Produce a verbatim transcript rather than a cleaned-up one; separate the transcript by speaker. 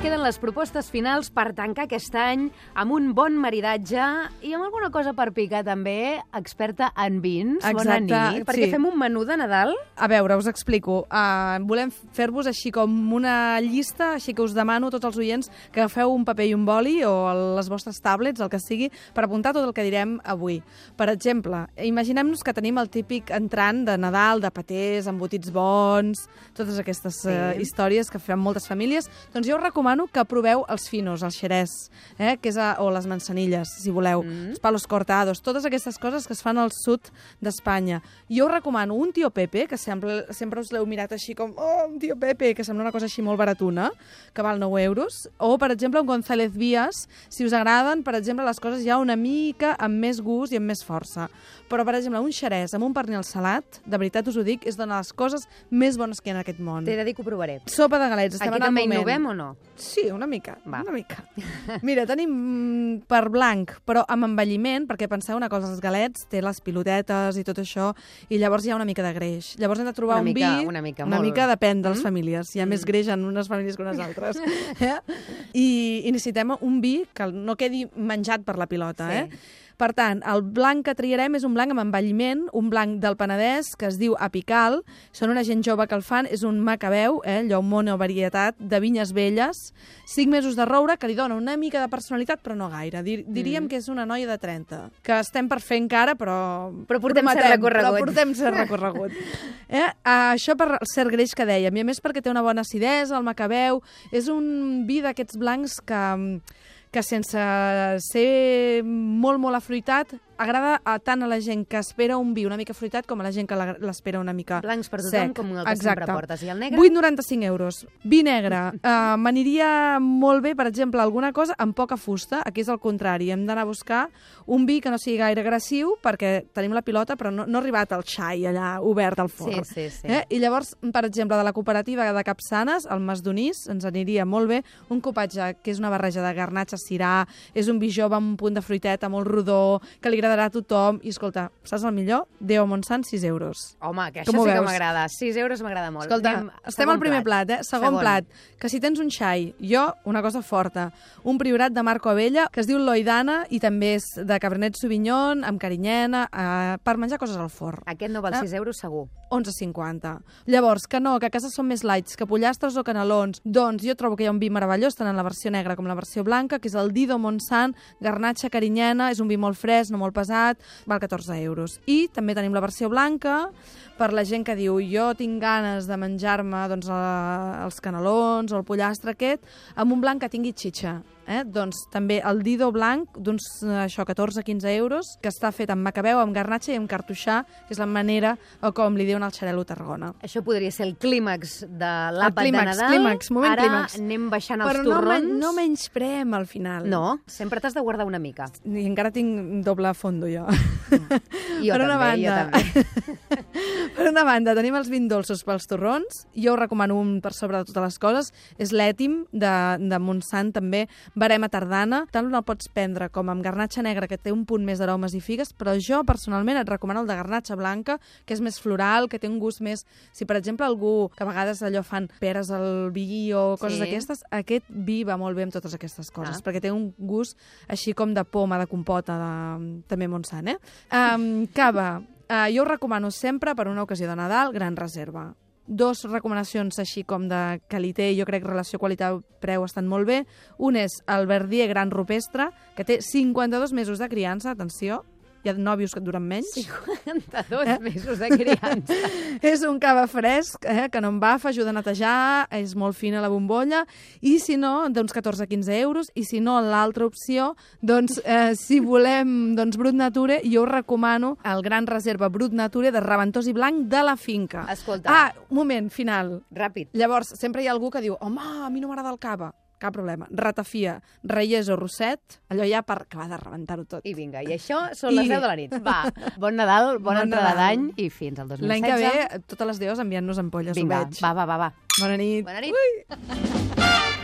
Speaker 1: queden les propostes finals per tancar aquest any amb un bon maridatge i amb alguna cosa per picar també, experta en vins.
Speaker 2: Exacte,
Speaker 1: Bona nit, perquè
Speaker 2: sí.
Speaker 1: fem un menú de Nadal.
Speaker 2: A veure, us explico. Uh, volem fer-vos així com una llista, així que us demano a tots els oients que agafeu un paper i un boli o les vostres tablets, el que sigui, per apuntar tot el que direm avui. Per exemple, imaginem-nos que tenim el típic entrant de Nadal, de patès, embotits bons, totes aquestes sí. uh, històries que fan moltes famílies. Doncs jo us recomano que proveu els finos, el xerès, eh, que és a, o les manzanilles, si voleu, mm. els palos cortados, totes aquestes coses que es fan al sud d'Espanya. Jo us recomano un tio Pepe, que sempre, sempre us l'heu mirat així com, oh, un tio Pepe, que sembla una cosa així molt baratuna, que val nou euros, o, per exemple, un González Vías, si us agraden, per exemple, les coses ja una mica amb més gust i amb més força. Però, per exemple, un xerès amb un pernil salat, de veritat us ho dic, és una de les coses més bones que hi ha en aquest món.
Speaker 1: T'he de dir que ho provaré.
Speaker 2: Sopa de galets, estem
Speaker 1: Aquí
Speaker 2: en el
Speaker 1: també
Speaker 2: moment.
Speaker 1: innovem o no?
Speaker 2: Sí, una mica,
Speaker 1: Va.
Speaker 2: una mica. Mira, tenim per blanc, però amb envelliment, perquè penseu una cosa, els galets té les pilotetes i tot això, i llavors hi ha una mica de greix. Llavors hem de trobar
Speaker 1: una
Speaker 2: un
Speaker 1: mica,
Speaker 2: vi...
Speaker 1: Una mica,
Speaker 2: una
Speaker 1: molt.
Speaker 2: mica depèn de les
Speaker 1: mm?
Speaker 2: famílies. Hi ha mm. més greix en unes famílies que unes altres. eh? I, I necessitem un vi que no quedi menjat per la pilota,
Speaker 1: sí.
Speaker 2: eh? Per tant, el blanc que triarem és un blanc amb envelliment, un blanc del Penedès, que es diu Apical. Són una gent jove que el fan, és un macabeu, eh, allò monovarietat, de vinyes velles, cinc mesos de roure, que li dona una mica de personalitat, però no gaire. Dir, diríem mm. que és una noia de trenta, que estem per fer encara, però...
Speaker 1: Però portem
Speaker 2: prometem,
Speaker 1: cert recorregut.
Speaker 2: Però portem cert recorregut. eh? Això per cert greix que dèiem, i a més perquè té una bona acidesa, el macabeu, és un vi d'aquests blancs que... que sense ser molt, molt afruitat, agrada a tant a la gent que espera un vi una mica fruitat com a la gent que l'espera una mica sec.
Speaker 1: Blancs per tothom, com el que
Speaker 2: Exacte.
Speaker 1: sempre portes. I el negre?
Speaker 2: vuit coma noranta-cinc euros. Vi negre. Uh, M'aniria molt bé, per exemple, alguna cosa amb poca fusta. Aquí és el contrari. Hem d'anar a buscar un vi que no sigui gaire agressiu, perquè tenim la pilota, però no, no ha arribat el xai allà obert al forn.
Speaker 1: Sí, sí, sí.
Speaker 2: Eh? I llavors, per exemple, de la cooperativa de Capçanes, el Mas Donís, ens aniria molt bé un copatge que és una barreja de garnatxa, cirà, és un vi jove amb un punt de fruiteta molt rodó, que li agradarà a tothom. I, escolta, saps el millor? Déu Montsant, sis euros.
Speaker 1: Home, que això
Speaker 2: Com
Speaker 1: sí que
Speaker 2: veus?
Speaker 1: m'agrada. sis euros m'agrada molt.
Speaker 2: Escolta,
Speaker 1: Anem,
Speaker 2: estem al primer plat, plat eh? Segon,
Speaker 1: Segon
Speaker 2: plat. Que si tens un xai, jo, una cosa forta, un priorat de Marco Abella, que es diu Loidana, i també és de Cabernet Sauvignon, amb carinyena, eh, per menjar coses al forn.
Speaker 1: Aquest no val
Speaker 2: Eh?
Speaker 1: sis euros segur.
Speaker 2: onze cinquanta. Llavors, que no, que a casa són més lights, que pollastres o canelons. Doncs jo trobo que hi ha un vi meravellós, tant en la versió negra com la versió blanca, que és el Dido Montsant, garnatxa, carinyena, és un vi molt fresc, no molt pesat, val catorze euros. I també tenim la versió blanca, per la gent que diu jo tinc ganes de menjar-me doncs, eh, els canelons o el pollastre aquest, amb un blanc que tingui xitxa. Eh? Doncs també el Dido blanc, d'uns això catorze a quinze euros, que està fet amb macabeu, amb garnatxa i amb cartoixà, que és la manera o com li diuen al xarel·lo Tarragona.
Speaker 1: Això podria ser el clímax de l'àpat de
Speaker 2: clímax,
Speaker 1: Nadal.
Speaker 2: clímax, moment
Speaker 1: Ara
Speaker 2: clímax.
Speaker 1: anem baixant els
Speaker 2: Però no,
Speaker 1: torrons.
Speaker 2: men no menysprem al final.
Speaker 1: No, sempre t'has de guardar una mica.
Speaker 2: I encara tinc doble fondo, jo.
Speaker 1: Jo
Speaker 2: per
Speaker 1: també,
Speaker 2: una banda,
Speaker 1: jo també.
Speaker 2: Per una banda, tenim els vins dolços pels torrons. Jo us recomano un per sobre de totes les coses. És l'Ètim, de, de Montsant, també. Verema tardana. Tant el pots prendre com amb garnatxa negra, que té un punt més d'aromes i figues, però jo, personalment, et recomano el de garnatxa blanca, que és més floral, que té un gust més... Si, per exemple, algú, que a vegades allò fan peres al vi o coses
Speaker 1: Sí.
Speaker 2: d'aquestes, aquest vi va molt bé amb totes aquestes coses,
Speaker 1: Ah.
Speaker 2: perquè té un gust així com de poma, de compota, de... també Montsant, eh? Um, cava. Uh, jo us recomano sempre, per una ocasió de Nadal, Gran Reserva. Dos recomanacions així com de qualitat, jo crec que relació qualitat-preu estan molt bé. Un és el Verdier Gran Rupestre, que té cinquanta-dos mesos de criança, atenció, hi ha nòvios que et duren menys.
Speaker 1: cinquanta-dos eh? mesos de criança.
Speaker 2: És un cava fresc, eh, que no embafa, ajuda a netejar, és molt fina la bombolla, i si no, doncs catorze a quinze euros, i si no, l'altra opció, doncs eh, si volem doncs, Brut Nature, jo us recomano el Gran Reserva Brut Nature de Raventós i Blanc de la finca.
Speaker 1: Escolta.
Speaker 2: Ah, un moment, final.
Speaker 1: Ràpid.
Speaker 2: Llavors, sempre hi ha algú que diu, home, a mi no m'agrada el cava. Cap problema. Ratafia, Reyes o Rosset, allò ja per acabar de rebentar-ho tot.
Speaker 1: I vinga, i això són
Speaker 2: I...
Speaker 1: les deu de la nit. Va, bon Nadal, bona
Speaker 2: Bon
Speaker 1: entrada
Speaker 2: Nadal.
Speaker 1: d'any i fins al dos mil setze.
Speaker 2: L'any que ve, totes les deus enviant-nos ampolles,
Speaker 1: Vinga,
Speaker 2: ho veig.
Speaker 1: va, va, va, va.
Speaker 2: Bona nit.
Speaker 1: Bona nit.
Speaker 2: Ui.